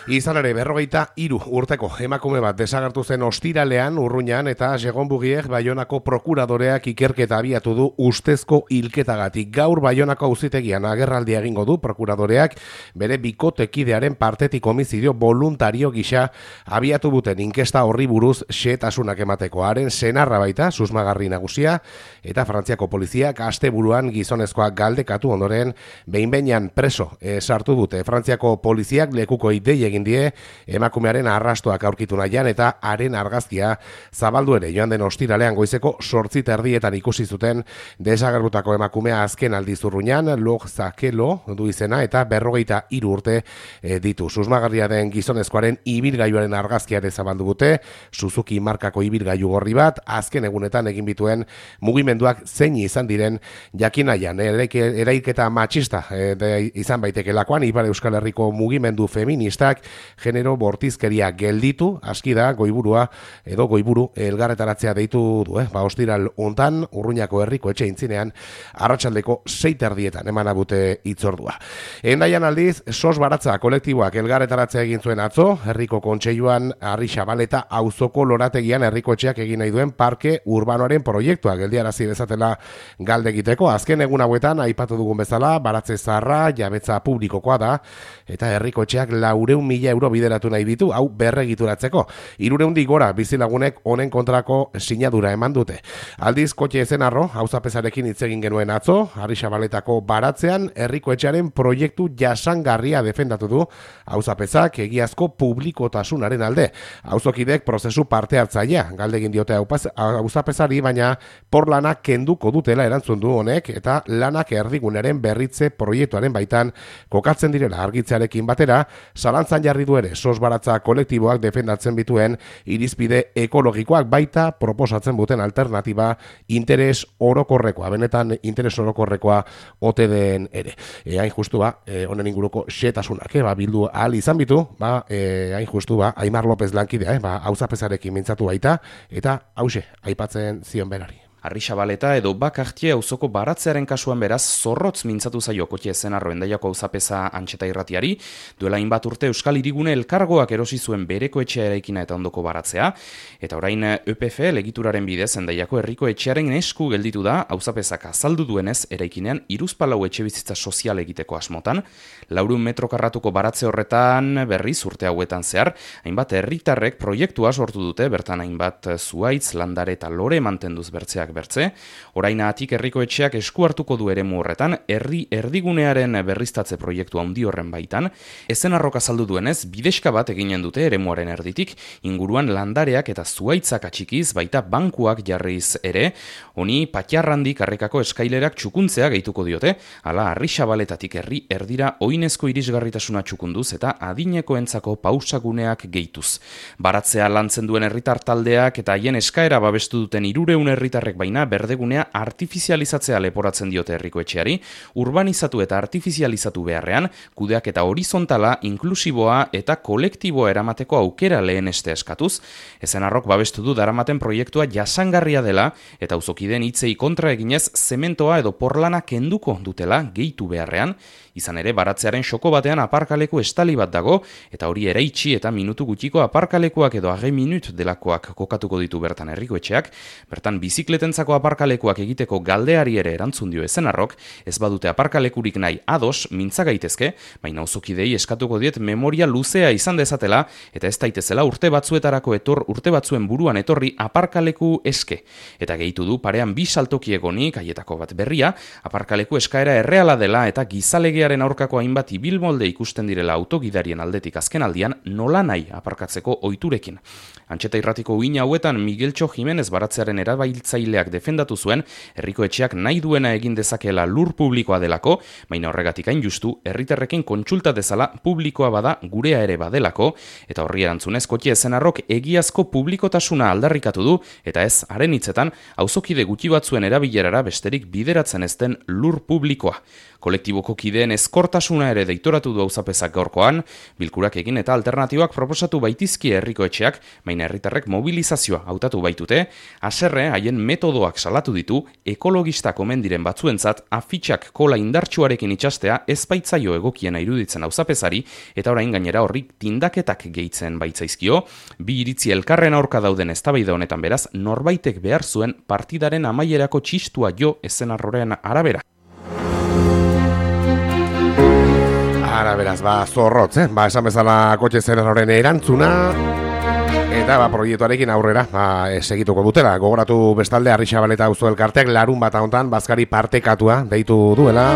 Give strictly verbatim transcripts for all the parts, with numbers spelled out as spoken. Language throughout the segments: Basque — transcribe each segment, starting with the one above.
Izan ere, berrogeita hiru urteko emakume bat desagertu zen ostiralean Urruñan eta Segonbugiek Baionako prokuradoreak ikerketa abiatu du ustezko hilketagatik. Gaur Baionako auzitegian agerraldia egingo du prokuradoreak bere bikotekidearen partetik homizidio voluntario gisa abiatu duten inkesta horri buruz xehetasunak emateko. Haren senarra baita susmagarri nagusia eta Frantziako poliziak asteburuan gizonezkoak galdekatu ondoren behin-behinean preso e, sartu dute. Frantziako poliziak lekuko idei egin die emakumearen arrastoak aurkitu nahian eta haren argazkia zabaldu ere joan den ostiralean goizeko zortzi terdietan ikusi zuten desagertutako emakumea azken aldiz Urruñan, Log Zakelo du izena eta berrogeita hiru urte e, ditu. Susmagarria den gizonezkoaren ibilgailuaren argazkia ere zabaldu dute, Suzuki markako ibilgailu gorri bat, azken egunetan egin bituen mugimenduak zein izan diren jakin nahian. Erailketa matxista e, de, izan baitekeelakoan, Ipar Euskal Herriko mugimendu feministak genero bortizkeria gelditu, aski da goiburua edo goiburu elgarretaratzea deitu du, eh? Ba, ostiral hontan Urruñako herriko etxe intzinean arratsaldeko sei terdietan eman abute hitzordua. Hendaian aldiz, sos baratza kolektiboak elgarretaratzea egin zuen atzo, herriko kontseiluan Harri Xabaleta auzoko lorategian herriko etxeak egin nahi duen parke urbanoaren proiektua geldiarazi dezatela galde egiteko. Azken egun hauetan aipatu dugun bezala, baratze zaharra jabetza publikokoa da eta herriko etxeak laurehun mila euro bideratu nahi ditu, hau berregituratzeko. Hirurehundik gora bizilagunek honen kontrako sinadura eman dute. Aldiz, kotxe ezenarro, auzapezarekin hitz egin genuen atzo, Harri Xabaletako baratzean herriko etxearen proiektu jasangarria defendatu du auzapezak egiazko publikotasunaren alde. Auzokidek prozesu parte hartzailea galde egin diote auzapezari, baina porlanak kenduko dutela erantzun du honek eta lanak erdigunaren berritze proiektuaren baitan kokatzen direla argitzearekin batera, zalantzan jarri du ere sos baratza kolektiboak defendatzen bituen irizpide ekologikoak baita proposatzen duten alternatiba interes orokorrekoa, benetan interes orokorrekoa ote den ere. E, hain justu ba, e, honen inguruko xetasunak, e, ba, bildu ahal izan bitu, ba, e, hain justu ba, Aimar López lankidea, e, ba, auzapezarekin mintzatu baita, eta hause, aipatzen zion berari. Harri Xabaleta edo Bakartie auzoko baratzearen kasuan beraz zorrotz mintzatu zaio kotxe ezenarro Hendaiako auzapeza Antxeta irratiari, duela hainbat urte Euskal Hirigune elkargoak erosi zuen bereko etxea eraikina eta ondoko baratzea, eta orain E P F legituraren bidez Hendaiako herriko etxearen esku gelditu da auzapezak azaldu duenez eraikinean hiruzpalau etxebizitza sozial egiteko asmotan, laurehun metro karratuko baratze horretan berriz urte hauetan zehar, hainbat herritarrek proiektua sortu dute, bertan hainbat zuhaitz, landare eta lore mantenduz bertzeak bertze, orainatik herriko etxeak esku hartuko du eremu horretan, herri erdigunearen berriztatze proiektu handi horren baitan, ezenarrok azaldu duenez, bideska bat eginen dute eremuaren erditik, inguruan landareak eta zuhaitzak atxikiz, baita bankuak jarriz ere, honi patxarrandik karrekako eskailerak txukuntzea gehituko diote, hala Harri Xabaletatik herri erdira oinezko irisgarritasuna txukunduz eta adinekoentzako pausaguneak gehituz. Baratzea lantzen duen herritar taldeak eta haien eskaera babestu duten hirurehun herritarrek baina berdegunea artifizializatzea leporatzen diote herriko etxeari, urbanizatu eta artifizializatu beharrean, kudeak eta horizontala, inklusiboa eta kolektiboa eramateko aukera leheneste eskatuz, ezenarrok babestu du daramaten proiektua jasangarria dela eta auzokideen hitzei kontra eginez zementoa edo porlana kenduko dutela gehitu beharrean, izan ere baratzearen xoko batean aparkaleku estali bat dago eta hori eraitsi eta minutu gutxiko aparkalekuak edo age minut delakoak kokatuko ditu bertan herriko etxeak, bertan bizikletentzako aparkalekuak egiteko galdeari ere erantzun dio ezenarrok, ez badute aparkalekurik nahi ados mintza gaitezke, baina auzokidei eskatuko diet memoria luzea izan dezatela eta ez daitezela urte batzuetarako etor urte batzuen buruan etorri aparkaleku eske. Eta gehitu du parean bi saltoki egonik, haietako bat berria, aparkaleku eskaera erreala dela eta gizalegea aurkako hainbat ibilmolde ikusten direla autogidarien aldetik azken aldian nola nahi aparkatzeko ohiturekin. Antxeta irratiko uina hauetan Migueltxo Jimenez baratzearen erabiltzaileak defendatu zuen herriko etxeak nahi duena egin dezakeela lur publikoa delako, baina horregatik hain justu herritarrekin kontsulta dezala publikoa bada gurea ere badelako, eta horri erantzunez kotxe ezenarrok egiazko publikotasuna aldarrikatu du, eta ez haren hitzetan auzokide gutxi batzuen erabilerara besterik bideratzen ez den lur publikoa. Kolektiboko kideen ezkortasuna ere deitoratu du auzapezak gaurkoan, bilkurak egin eta alternatibak proposatu baitizkie herriko etxeak, baina herritarrek mobilizazioa hautatu baitute, haserre haien metodo metodoak salatu ditu, ekologistak omen diren batzuentzat afitxak kola indartsuarekin itxastea ezpaitzaio egokiena iruditzen auzapezari eta orain gainera horrik tindaketak gehitzen baitzaizkio, bi iritzi elkarren aurka dauden eztabaida honetan beraz norbaitek behar zuen partidaren amaierako txistua jo ezenarroren arabera. Ara beraz, ba, zorrotz, eh? Ba, esan bezala kotxe zenarroren erantzuna. Eta ba, proiektuarekin aurrera ba, segituko dutela. Gogoratu bestalde Arrixabaleta auzo elkarteak larun bat hontan bazkari partekatua deitu duela.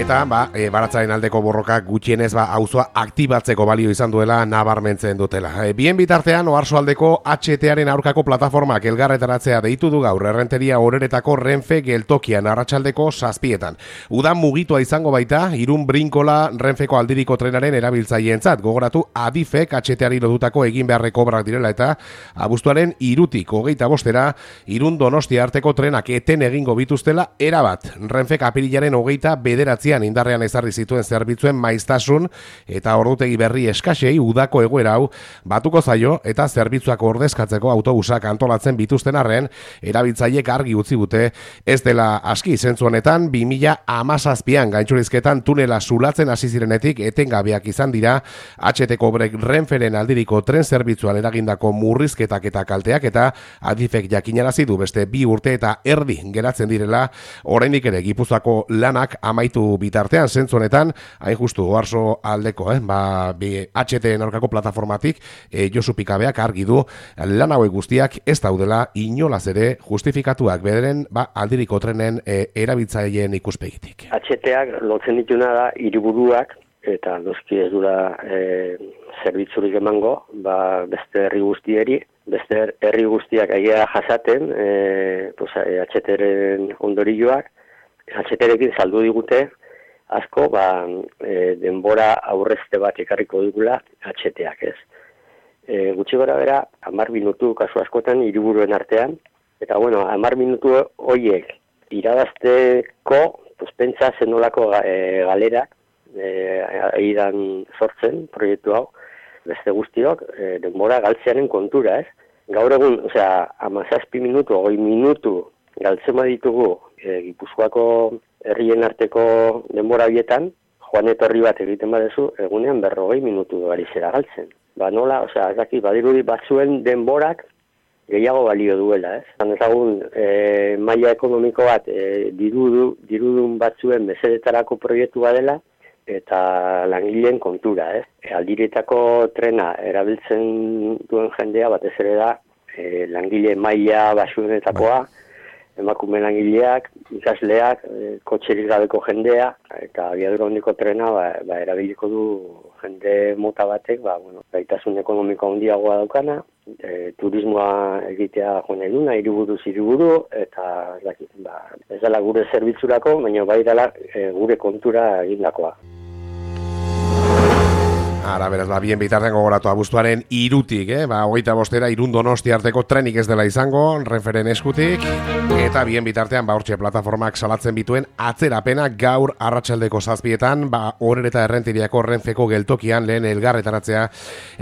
Eta ba, e, baratzaren aldeko borroka gutxienez ba, auzoa aktibatzeko balio izan duela nabarmentzen dutela. E, bien bitartean, Oarsoaldeko H T-aren aurkako plataformak elgarretaratzea deitu du gaur errenteria horeretako Renfe geltokian arratsaldeko zazpietan. Udan mugitua izango baita, Irun Brinkola Renfeko aldiriko trenaren erabiltzaileentzat. Gogoratu Adifek H T-ari lotutako egin beharreko obrak direla eta abuztuaren irutik hogeita bostera Irun Donostia arteko trenak eten egingo bituztela erabat. Renfek apirilaren hogeita bederatzi indarrean ezarri zituen zerbitzuen maiztasun eta ordutegi berri eskasei udako egoera hau batuko zaio eta zerbitzuak ordezkatzeko autobusak antolatzen bituzten arren erabiltzaileek argi utzi dute ez dela aski zentzu honetan bi mila hamazazpian gaintxurizketan tunela zulatzen hasi zirenetik etengabeak izan dira H T-ko Renferen aldiriko tren zerbitzuan eragindako murrizketak eta kalteak eta Adifek jakinarazi du beste bi urte eta erdi geratzen direla oraindik ere Gipuzkoako lanak amaitu bitartean zentzu honetan, hain justu Oarso aldeko, eh, ba, H T-en aurkako plataformatik eh, Josu Pikabeak argi du lan hauek guztiak ez daudela inolaz ere justifikatuak bederen ba, aldiriko trenen eh, erabiltzaileen ikuspegitik. H T-ak lotzen dituna da hiriburuak eta noski ez dura eh, zerbitzurik emango, ba, beste herri guztieri, beste herri guztiak aia jasaten eh, pues, H T-ren ondorioak, H T-rekin saldu digute asko ba, e, denbora aurrezte bat ekarriko digula H T-ak, ez. E, gutxi gora bera, hamar minutu kasu askotan hiriburuen artean, eta bueno, hamar minutu horiek irabazteko, pues, pentsa zenolako e, galera e, aidan sortzen proiektu hau, beste guztiok e, denbora galtzearen kontura, ez. Gaur egun, osea, hamazazpi minutu, hogei minutu galtzen baditugu e, Gipuzkoako herrien arteko denbora horietan, joan etorri bat egiten badezu, egunean berrogei minutu gari zera galtzen. Ba nola, osea, ez daki, badirudi batzuen denborak gehiago balio duela, ez? Zan ezagun, e, maila ekonomiko bat, e, dirudu, dirudun batzuen mesedetarako proiektu badela, eta langileen kontura, ez? E, aldiretako trena erabiltzen duen jendea, batez ere da, e, langile maila basuenetakoa, emakume langileak, ikasleak, e, kotxerik gabeko jendea, eta abiadura handiko trena ba, ba, erabiliko du jende mota batek, ba, bueno, gaitasun ekonomiko handiagoa daukana, e, turismoa egitea joan nahi duna, hiriburuz hiriburu, eta ba, ez dela gure zerbitzurako, baina bai dela e, gure kontura egindakoa. Ara, beraz, ba, bien bitartean gogoratu abuztuaren irutik, eh? Ba, hogeita bostera Irun Donostia arteko trenik ez dela izango, Renferen eskutik, eta bien bitartean, ba, hortxe plataformak salatzen bituen atzerapena gaur arratsaldeko zazpietan, ba, horreta errentiriako Renfeko geltokian lehen elgarretaratzea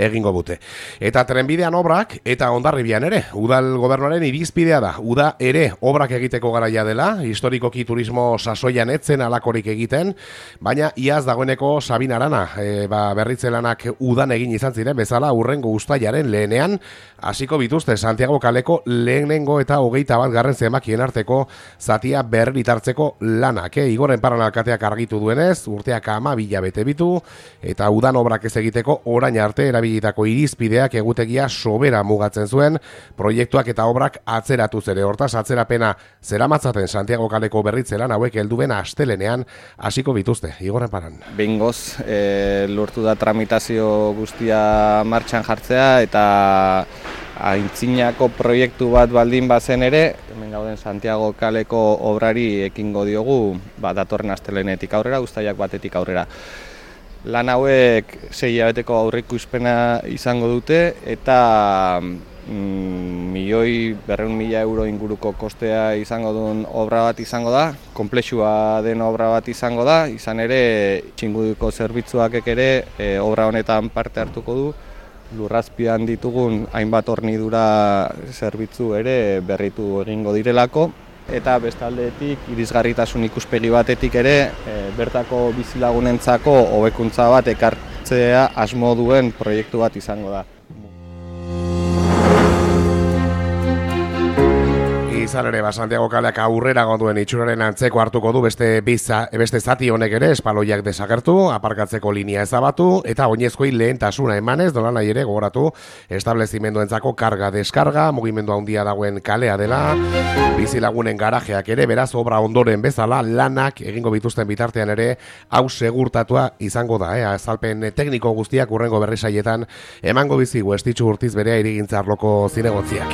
egingo dute. Eta trenbidean obrak, eta Hondarribian ere, udal gobernuaren irizpidea da, uda ere obrak egiteko garaia dela, historikoki turismo sasoian etzen alakorik egiten, baina iaz dagoeneko Sabin Arana, e, ba, berritzen lanak udan egin izan ziren bezala urrengo uztailaren lehenean hasiko bituzte Santiago kaleko lehenengo eta hogeita bat garren zenbakien arteko zatia berritartzeko lanak. Eh? Igoren Paran alkateak argitu duenez, urteak hamabi bete bitu eta udan obrak ez egiteko orain arte erabilitako irizpideak egutegia sobera mugatzen zuen, proiektuak eta obrak atzeratu zere. Hortaz, atzerapena zeramatzaten Santiago kaleko berritzelan hauek helduen astelenean hasiko bituzte. Igoren Paran. Behingoz, e, lortu da tramitazio guztia martxan jartzea eta aintzinako proiektu bat baldin bazen ere, hemen gauden Santiago kaleko obrari ekingo diogu ba, datorren astelenetik aurrera, uztailak batetik aurrera. Lan hauek sei hilabeteko aurreikuspena izango dute eta mm, milioi berrehun mila euro inguruko kostea izango duen obra bat izango da, konplexua den obra bat izango da, izan ere txinguduko zerbitzuak ere e, obra honetan parte hartuko du, lurrazpian ditugun hainbat hornidura zerbitzu ere berritu egingo direlako, eta bestaldetik irisgarritasun ikuspegi batetik ere e, bertako bizilagunentzako hobekuntza bat ekartzea asmo duen proiektu bat izango da. Izan ere, ba, Santiago kaleak aurrera gonduen itxuraren antzeko hartuko du beste biza, beste zati honek ere espaloiak desagertu, aparkatzeko linea ezabatu, eta oinezkoei lehentasuna emanez, dola nahi ere gogoratu establezimenduentzako karga deskarga, mugimendu handia dagoen kalea dela, bizilagunen garajeak ere, beraz obra ondoren bezala, lanak egingo bituzten bitartean ere, hau segurtatua izango da, eh? Azalpen tekniko guztiak urrengo berrisaietan emango bizigu estitxu urtiz berea irigintza arloko zinegotziak.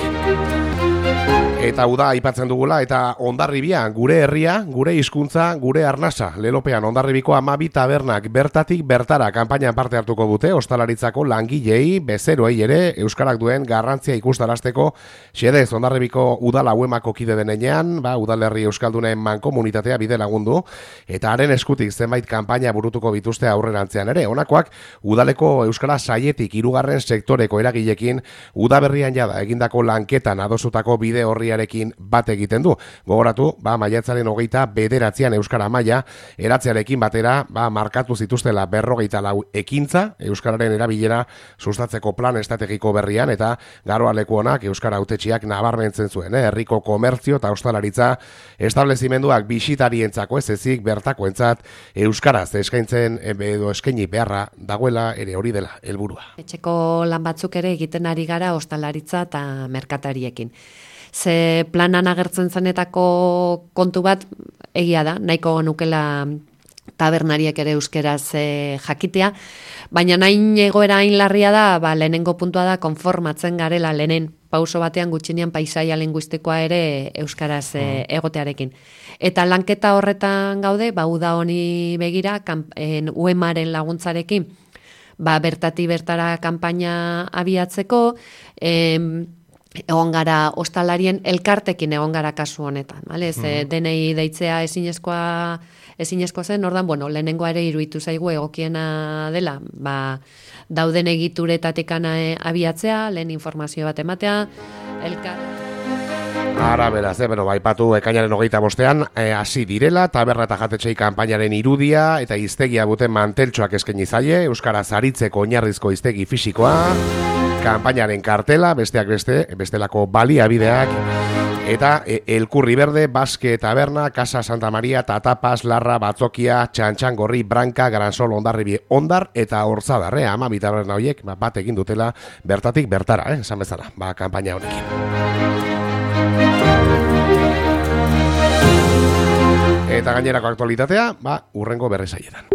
Eta uda aipatzen dugula, eta Hondarribia, gure herria, gure hizkuntza, gure arnasa. Lelopean Hondarribiko hamabi tabernak bertatik bertara kanpainan parte hartuko dute, ostalaritzako langilei, bezeroei ere, euskarak duen garrantzia ikustarazteko, xedez Hondarribiko udala uemako kide denean, ba, udalerri euskaldunen mankomunitatea bide lagundu, eta haren eskutik zenbait kanpaina burutuko bituzte aurrerantzean ere. Honakoak, udaleko euskara saietik hirugarren sektoreko eragilekin, udaberrian jada egindako lanketan adosutako bide horri Ekin bat egiten du. Gogoratu, ba, maiatzaren hogeita bederatzean euskara maila, eratzearekin batera, ba, markatu zituztela berrogeita lau ekintza, euskararen erabilera sustatzeko plan estrategiko berrian, eta garoaleku honak euskara hautetxiak nabarmentzen zuen, eh? Herriko komertzio eta ostalaritza establezimenduak bisitarientzako ez ezik bertakoentzat euskaraz eskaintzen edo eskaini beharra dagoela ere hori dela helburua. Etxeko lan batzuk ere egiten ari gara ostalaritza eta merkatariekin. Ze planan agertzen zenetako kontu bat egia da, nahiko nukela tabernariek ere euskeraz e, jakitea, baina nahin egoera hain larria da, ba, lehenengo puntua da konformatzen garela lehenen pauso batean gutxinean paisaia linguistikoa ere euskaraz e, egotearekin. Eta lanketa horretan gaude, ba, uda honi begira, kampen, uemaren laguntzarekin, ba, bertati bertara kanpaina abiatzeko, em, egon gara ostalarien elkartekin egon gara kasu honetan, bale? Ze mm. denei deitzea ezinezkoa ezinezkoa zen, ordan bueno, lehenengoa ere iruditu zaigu egokiena dela, ba dauden egituretatik abiatzea, lehen informazio bat ematea, elkar Ara, beraz, eh, bueno, baipatu ekainaren hogeita bostean, hasi eh, direla, taberna eta jatetxei kanpainaren irudia, eta hiztegia buten manteltxoak eskaini zaie, euskaraz aritzeko oinarrizko hiztegi fisikoa, kanpainaren kartela, besteak beste, bestelako baliabideak, eta e, Elkurri Berde, Baske Taberna, Casa Santa Maria, Tatapas, Larra, Batzokia, Txantxangorri, Branka, Gransol, Hondarribi, Hondar, eta Horzadar, eh, ama bi taberna horiek, ba, bat egin dutela bertatik bertara, eh, esan bezala, ba, kanpaina honekin. Eta gainerako aktualitatea, ba, urrengo berrisaietan.